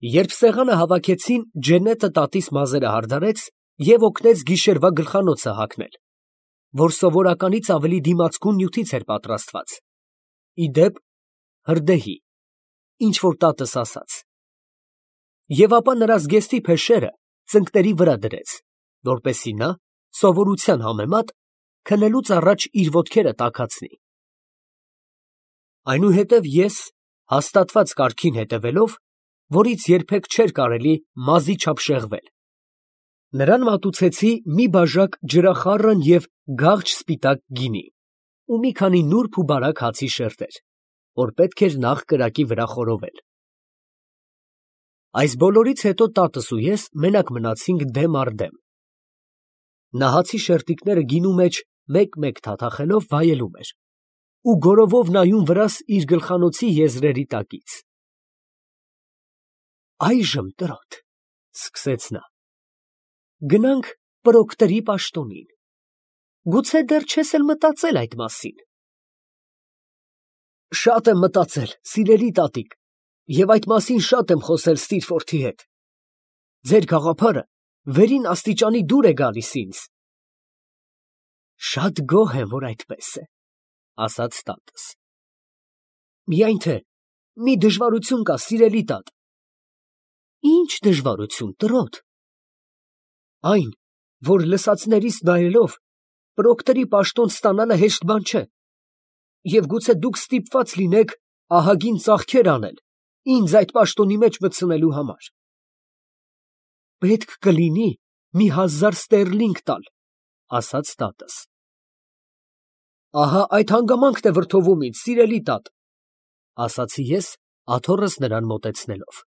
Երբ սեղանը հավաքեցին, Ջեննետը տատիս մազերը հարդարեց և օգնեց գիշերվա գլխանոցը հագնել, որ սովորականից ավելի դիմացկուն նյութից էր պատրաստված, ի դեպ հրդեհի, ինչ որ տատս ասաց, և ապա նրա զգեստի փեշերը ծնկների վրա դրեց, որպեսզի նա, սովորության համեմատ, քնելուց առաջ իր ոտքերը տաքացնի։ Այնուհետև ես, հաստատված կարգին հետևելով, որից երբեք չէր կարելի մազի չափ շեղվել, նրան մատուցեցի մի բաժակ ջրախառն և գաղջ սպիտակ գինի ու մի քանի նուրբ ու բարակ հացի շերտեր, որ պետք էր նախ կրակի վրա խորովել։ Այս բոլորից հետո տատս ու ես մենակ մնացինք դեմ առ դեմ։ Նա հացի շերտիկները գինու մեջ մեկ֊մեկ թաթախելով վայելում էր ու գորովով նայում վրաս իր գլխանոցի եզրերի տակից։ «Այժմ, տրոտ, ֊ սկսեց նա, ֊ գնանք պրոկտորի պաշտոնին. գուցե դեռ չես էլ մտածել այդ մասին։ ֊ Շատ եմ մտածել, սիրելի տատիկ, և այդ մասին շատ եմ խոսել Ստիրֆորթի հետ. ձեր գաղափարը վերին աստիճանի դուր է գալիս ինձ։ ֊ Շատ գոհ եմ, որ այդպես է, ֊ ասաց տատս։ ֊ Միայն թե մի դժվարություն կա, սիրելի տատ։ ֊ Ի՞նչ դժվարություն, տրոտ։ ֊ Այն, որ լսածներիս նայելով, պրոկտորի պաշտոն ստանալը հեշտ բան չէ, և գուցե դուք ստիպված լինեք ահագին ծախքեր անել ինձ այդ պաշտոնի մեջ մտցնելու համար։ ֊ Պետք կլինի մի 1000 ստերլինգ տալ, ֊ ասաց տատս։ ֊ Ահա այդ հանգամանքն է վրդովում ինձ, սիրելի տատ, ֊ ասացի ես, աթոռս նրան մոտեցնելով։ ֊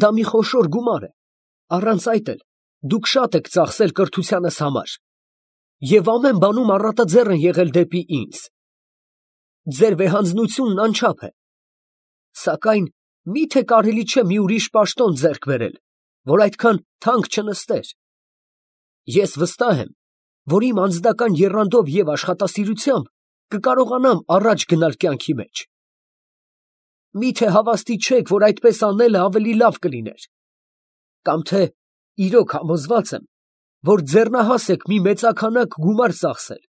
Դա մի խոշոր գումար է, առանց այդ էլ դուք շատ եք ծախսել կրթությանս համար և ամեն բանում առատաձեռն եղել դեպի ինձ. ձեր վեհանձնությունն անչափ է, սակայն մի՞թե կարելի չէ մի ուրիշ պաշտոն ձեռք բերել, որ այդքան թանկ չնստեր։ Ես վստահ եմ, որ իմ անձնական եռանդով և աշխատասիրությամբ կկարողանամ առաջ գնալ կյանքի մեջ։ Մի՞թե հավաստի չեք, որ այդպես անելը ավելի լավ կլիներ, կամ թե իրոք համոզված եմ, որ ձեռնահաս եք մի մեծաքանակ գումար ծախսել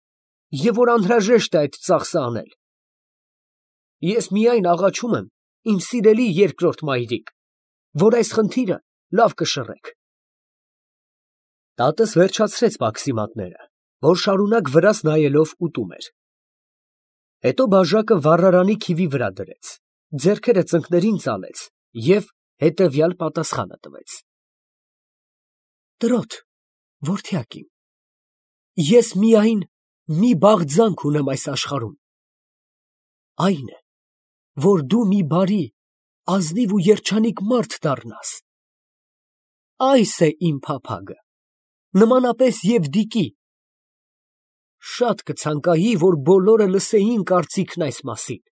և որ անհրաժեշտ է այդ ծախսը անել։ Ես միայն աղաչում եմ, իմ սիրելի երկրորդ մայրիկ, որ այս խնդիրը լավ կշռեք։ Տատս վերջացրեց պաքսիմատները, որ շարունակ վրաս նայելով ուտում էր։ Հետո բաժակը վառարանի քիվի վրա դրեց, ձեռքերը ծնկներին ծալեց և հետևյալ պատասխանը տվեց. Տրոտ, որդյակ իմ, ես միայն մի բաղձանք ունեմ այս աշխարհում. այն է, որ դու մի բարի, ազնիվ ու երջանիկ մարդ դառնաս։ Այս է իմ փափագը, նմանապես Եվդիկի։ Շատ կցանկայի, որ բոլորը լսեին կարծիքն այս մասին։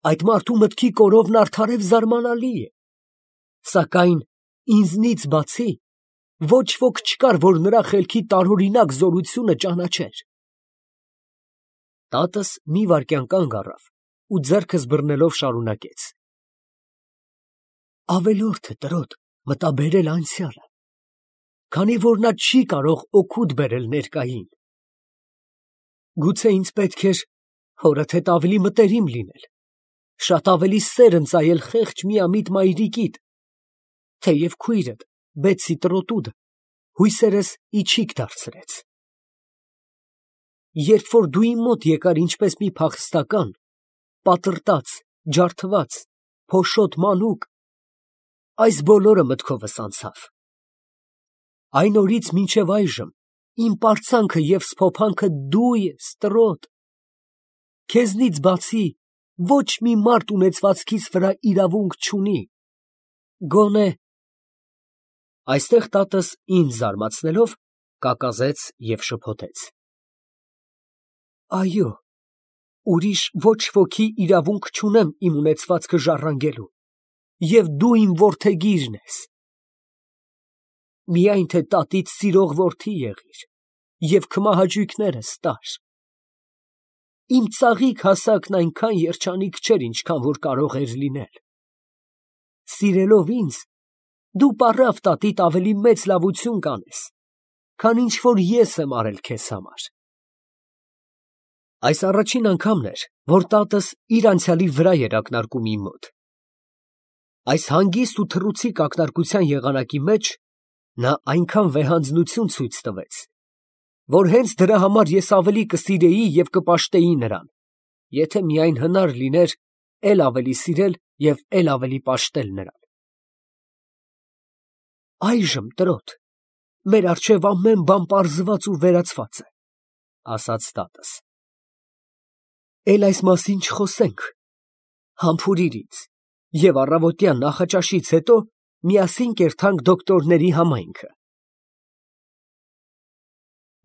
Այդ մարդու մտքի կորովն արդար և զարմանալի է, սակայն ինձնից բացի ոչ ոք չկար, որ նրա խելքի տարօրինակ զորությունը ճանաչեր։ Տատս մի վայրկյան կանգ առավ ու ձեռքս բռնելով շարունակեց. Ավելորդ է, տրոտ, մտաբերել անցյալը, քանի որ նա չի կարող օգուտ բերել ներկային։ Գուցե ինձ պետք էր հորդ հետ ավելի մտերիմ լինել, շատ ավելի սեր ընծայել խեղճ միամիտ մայրիկիդ, թեև քույրդ, Բեցի տրոտուդը, հույսերս իչիք դարձրեց։ Երբ որ դու իմ մոտ եկար ինչպես մի փախստական, պատրտած, ջարդված, փոշոտ մանուկ, այս բոլորը մտքովս անցավ։ Այն օրից մինչև այժմ իմ պարծանքը և սփոփանքը դու ես, տրոտ։ Քեզնից բացի ոչ մի մարդ ունեցվածքիս վրա իրավունք չունի, գոնե… Այստեղ տատս ինձ զարմացնելով, կակազեց և շփոթեց. Այո, ուրիշ ոչ ոքի իրավունք չունեմ իմ ունեցվածքը ժառանգելու, և դու իմ որդեգիրն ես։ Միայն թե տատիդ սիրող որդի եղիր և քմահաճույքներս տար։ Իմ ծաղիկ հասակն այնքան երջանիկ չէր, ինչքան որ կարող էր լինել։ սիրելով ինձ, դու պառավ տատիդ ավելի մեծ լավություն կանես, քան ինչ որ ես եմ արել քեզ համար։ Այս առաջին անգամն էր, որ տատս իր անցյալի վրա էր ակնարկում իմ մոտ։ Այս հանգիստ ու թռուցիկ ակնարկության եղանակի մեջ նա այնքան վեհանձնություն ցույց տվեց, որ հենց դրա համար ես ավելի կսիրեի և կպաշտեի նրան, եթե միայն հնար լիներ էլ ավելի սիրել և էլ ավելի պաշտել նրան։ Այժմ, տրոտ, մեր առջև ամեն բան պարզված ու վերացված է, ասաց տատս։ Էլ այս մասին չխոսենք, համբուրիր ինձ, և առավոտյան նախաճաշից հետո միասին կերթանք դոկտորների համայնքը։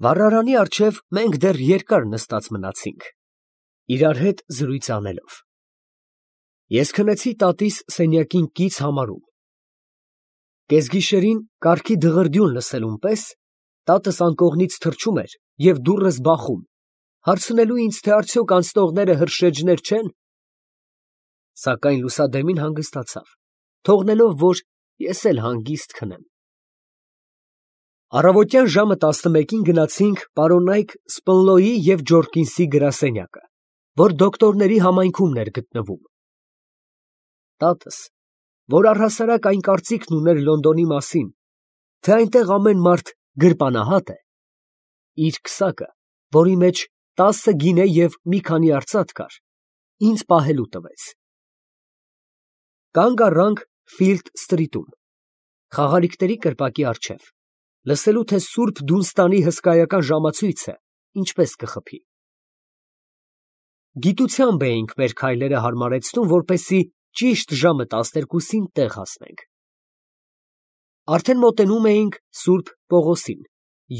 Վառարանի առջև մենք դեռ երկար նստած մնացինք, իրար հետ զրույց անելով։ Ես քնեցի տատիս սենյակին կից համարում։ Կեսգիշերին կառքի դղրդյուն լսելուն պես տատս անկողնից թռչում էր և դուռս բախում, հարցնելու ինձ, թե արդյոք անցնողները հրշեջներ չեն, սակայն լուսադեմին հանգստացավ, թողնելով, որ ես էլ հանգիստ քնեմ։ Առավոտյան ժամը 11-ին գնացինք պարոնայք Սպնլոյի և Ջորկինսի գրասենյակը, որ դոկտորների համայնքումն էր գտնվում։ Տատս, որ առհասարակ այն կարծիքն ուներ Լոնդոնի մասին, թե այնտեղ ամեն մարդ գրպանահատ է, իր քսակը, որի մեջ 10 գինե և մի քանի արծաթ կար, ինձ պահելու տվեց։ Կանգ առանք Ֆիլդ սթրիթում, խաղալիքների կրպակի առջև, լսելու, թե Սուրբ Դունստանի հսկայական ժամացույցը ինչպես կխփի։ Գիտությամբ էինք մեր քայլերը հարմարեցնում, որպեսզի ճիշտ ժամը 12-ին տեղ հասնենք։ Արդեն մոտենում էինք Սուրբ Պողոսին,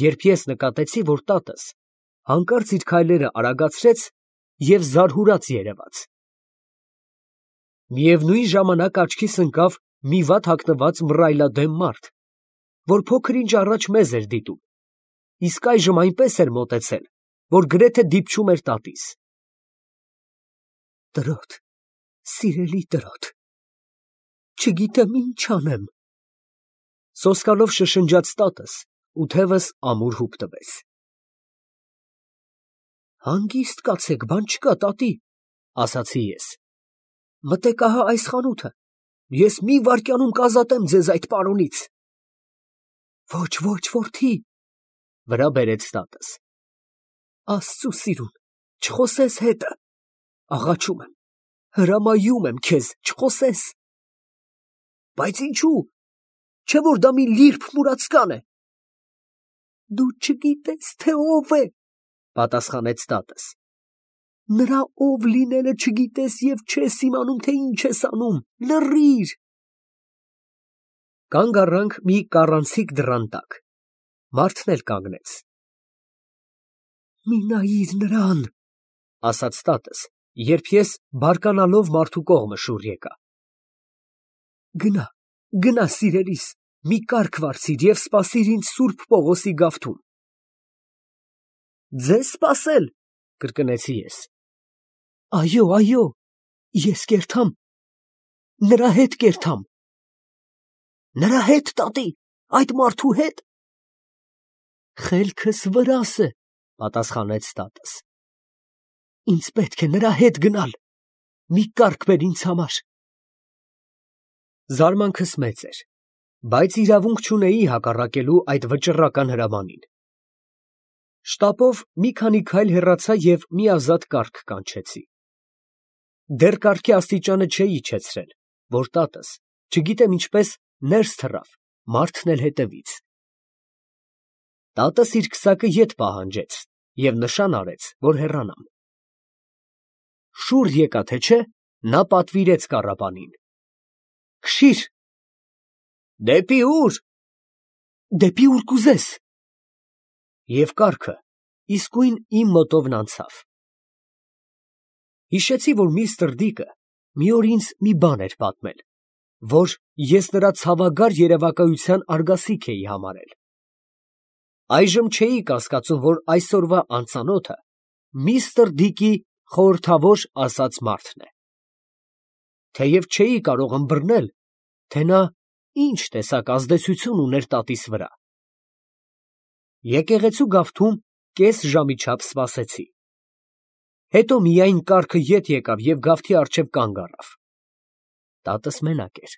երբ ես նկատեցի, որ տատս հանկարծ իր քայլերը արագացրեց և զարհուրած երևաց։ Միևնույն ժամանակ աչքիս ընկավ մի վատ հագնված մռայլադեմ մարդ, որ փոքր ինչ առաջ մեզ էր դիտում, իսկ այժմ այնպես էր մոտեցել, որ գրեթե դիպչում էր տատիս։ Տրոտ, սիրելի տրոտ, չգիտեմ ինչ անեմ, սոսկալով շշնջաց տատս ու թևս ամուր հուպ տվեց։ Հանգիստ կացեք, բան չկա, տատի, ասացի ես։ Մտեք ահա այս խանութը, ես մի վայրկյանում կազատեմ ձեզ այդ պարոնից։ Ոչ, որդի, վրա բերեց տատս։ Աստծու սիրուն, չխոսես հետը, աղաչում եմ, հրամայում եմ քեզ, չխոսես։ Բայց ինչու, չէ՞ որ դա մի լիրբ մուրացկան է։ Դու չգիտես, թե ով է, պատասխանեց տատս։ Նրա ով լինելը չգիտես և չես իմանում, թե ինչ ես անում, լռիր։ Կանգ առանք մի կառանցիկ դռան տակ, մարդն էլ կանգնեց։ Մի նայիր նրան, ասաց տատս, երբ ես բարկանալով մարդու կողմը շուռ եկա։ Գնա, սիրելիս, մի կառք վարձիր և սպասիր ինձ Սուրբ Պողոսի գավթում։ Ձեզ սպասել, կրկնեցի ես։ Այո, ես կերթամ, նրա հետ կերթամ։ Նրա հետ, տատի, այդ մարդու հետ։ Խելքս վրաս է, պատասխանեց տատս։ Ինձ պետք է նրա հետ գնալ, մի կառք բեր ինձ համար։ Զարմանքս մեծ էր, բայց իրավունք չունեի հակառակելու այդ վճռական հրամանին։ Շտապով մի քանի քայլ հեռացա և մի ազատ կառք կանչեցի։ Դեռ կառքի աստիճանը չէի իջեցրել, որ տատս, չգիտեմ ինչպես, ներս թռավ, մարդն էլ հետևից։ Տատս իր քսակը ետ պահանջեց և նշան արեց, որ հեռանամ։ Շուռ եկա, թե չէ, նա պատվիրեց կառապանին. Քշի՛ր։ Դեպի ո՞ւր։ Դեպի ուր կուզես։ Եվ կառքը իսկույն իմ մոտովն անցավ։ Հիշեցի, որ միստր Դիկը մի օր ինձ մի բան էր պատմել, որ ես նրա ցավագար երևակայության արգասիք էի համարել։ Այժմ չէի կասկածում, որ այսօրվա անծանոթը միստր Դիկի խորհրդավոր ասած մարդն է։ Թեև չէի կարող ըմբռնել, թե նա ինչ տեսակ ազդեցություն ուներ տատիս վրա։ Եկեղեցու գավթում կես ժամի չափ սպասեցի։ Հետո միայն կառքը ետ եկավ և գավթի առջև կանգ առավ։ Տատս մենակ էր։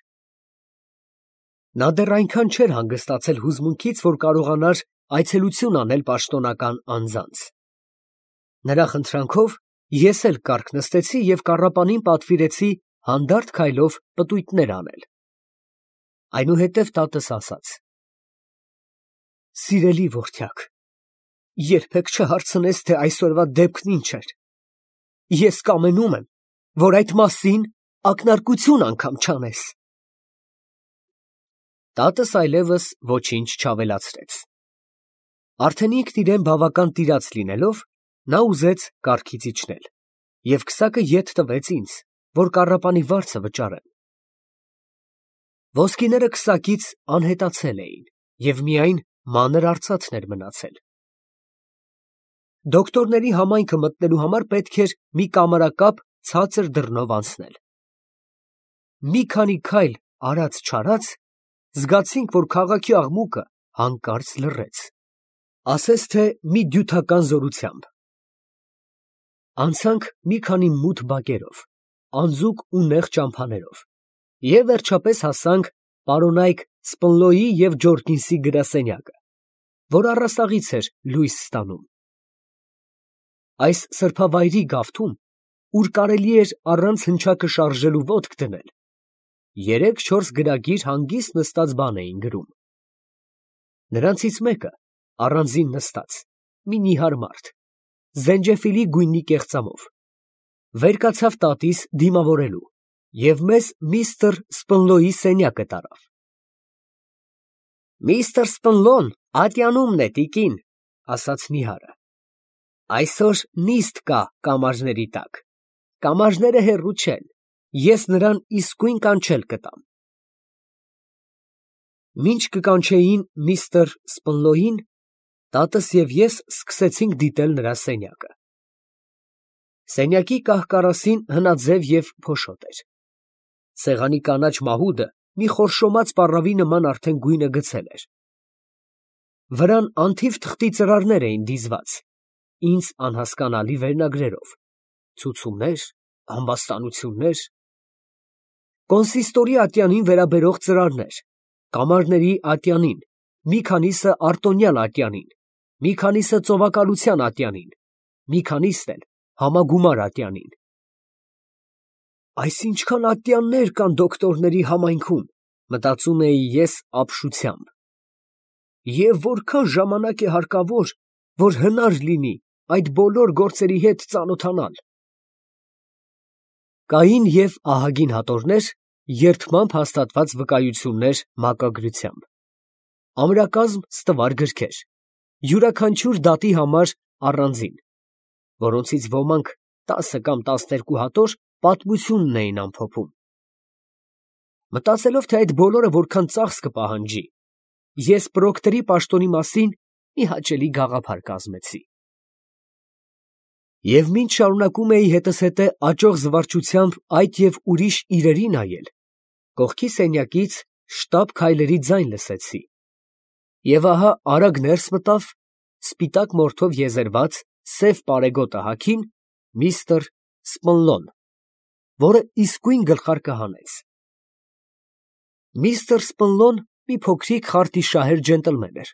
Նա դեռ այնքան չէր հանգստացել հուզմունքից, որ կարողանար այցելություն անել պաշտոնական անձանց։ Նրա խնդրանքով ես էլ կառք նստեցի և կառապանին պատվիրեցի հանդարտ քայլով պտույտներ անել։ Այնուհետև տատս ասաց. «Սիրելի որդյակ, երբեք չհարցնես, թե այսօրվա դեպքն ինչ էր։ Ես կամենում եմ, որ այդ մասին ակնարկություն անգամ չանես»։ Տատս այլևս ոչինչ չավելացրեց։ Արդեն ինքն իրեն բավական տիրաց լինելով, նա ուզեց կառքից իջնել և քսակը ետ տվեց ինձ, որ կառապանի վարձը վճարեմ։ Ոսկիները քսակից անհետացել էին և միայն մանր արծաթն էր մնացել։ Դոկտորների համայնքը մտնելու համար պետք էր մի կամարակապ ցածր դռնով անցնել։ Մի քանի քայլ արած֊չարած, զգացինք, որ քաղաքի աղմուկը հանկարծ լռեց, ասես թե մի դյութական զորությամբ։ Անցանք մի քանի մութ բակերով, անձուկ ու նեղ ճամփաներով և վերջապես հասանք պարոնայք Սպնլոյի և Ջորկինսի գրասենյակը, որ առաստաղից էր լույս ստանում։ Այս սրբավայրի գավթում, ուր կարելի էր առանց հնչակը շարժելու ոտք դնել, 3-4 գրագիր հանգիստ նստած բան էին գրում։ Նրանցից մեկը, առանձին նստած, մի նիհար մարդ, զենջեֆիլի գույնի կեղծամով, վեր կացավ տատիս դիմավորելու և մեզ միստր Սպնլոյի սենյակը տարավ։ «Միստր Սպնլոն ատյանումն է, տիկին», ֊ ասաց նիհարը։ «Այսօր նիստ կա կամարների տակ, կամարները հեռու չեն, ես նրան իսկույն կանչել կտամ»։ Մինչ կկանչեին միստր Սպնլոյին, տատս և ես սկսեցինք դիտել նրա սենյակը։ Սենյակի կահ֊կարասին հնաձև և փոշոտ էր։ Սեղանի կանաչ մահուդը մի խորշոմած պառավի նման արդեն գույնը գցել էր։ Վրան անթիվ թղթի ծրարներ էին դիզված, ինձ անհասկանալի վերնագրերով, ցուցումներ, ամբաստանություններ, կոնսիստորի ատյանին վերաբերող ծրարներ, կամարների ատյանին, մի քանիսը արտոնյալ ատյանին, մի քանիսը ծովակալության ատյանին, մի քանիսն էլ համագումար ատյանին։ Այս ինչքան ատյաններ կան դոկտորների համայնքում, մտածում էի ես ապշությամբ, և որքան ժամանակ է հարկավոր, որ հնար լինի այդ բոլոր գործերի հետ ծանոթանալ։ Կային և ահագին հատորներ, երդմամբ հաստատված վկայություններ մակագրությամբ, ամրակազմ ստվար գրքեր, յուրաքանչյուր դատի համար առանձին, որոնցից ոմանք 10 կամ 12 հատոր պատմությունն էին ամփոփում։ Մտածելով, թե այդ բոլորը որքան ծախս կպահանջի, ես պրոկտորի պաշտոնի մասին մի հաճելի գաղափար կազմեցի։ Եվ մինչ շարունակում էի հետզհետե աճող զվարճությամբ այդ և ուրիշ իրերի նայել, կողքի սենյակից շտապ քայլերի ձայն լսեցի, և ահա արագ ներս մտավ սպիտակ մորթով եզերված սև պարեգոտը հագին միստր Սպնլոն, որը իսկույն գլխարկը հանեց։ Միստր Սպնլոն մի փոքրիկ խարտիշահեր ջենտլմեն էր,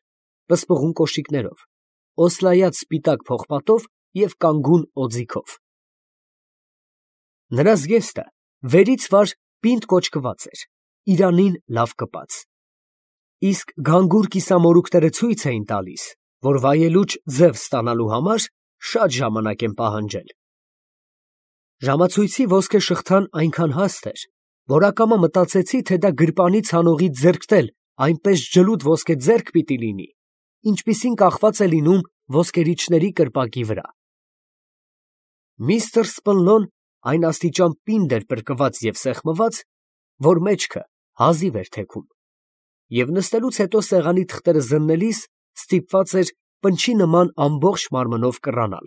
պսպղուն կոշիկներով, օսլայած սպիտակ պողպատով և կանգուն օձիքով։ Նրա զգեստը վերից վար պինդ կոճկված էր, իրանին լավ կպած, իսկ գանգուր կիսամորուքները ցույց էին տալիս, որ վայելուչ ձև ստանալու համար շատ ժամանակ են պահանջել։ Ժամացույցի ոսկե շղթան այնքան հաստ էր, որ ակամա մտածեցի, թե դա գրպանի ցանողից զերկվել այնպես ջլուդ ոսկե ձեռք պիտի լինի, ինչպիսին կախված է լինում ոսկերիչների կրպակի վրա։ Միստր Սպնլոն այն աստիճան պինդ էր պրկված և սեղմված, որ մեջքը հազիվ էր թեքում, և նստելուց հետո սեղանի թղթերը զննելիս ստիպված էր պնչի նման ամբողջ մարմնով կռանալ։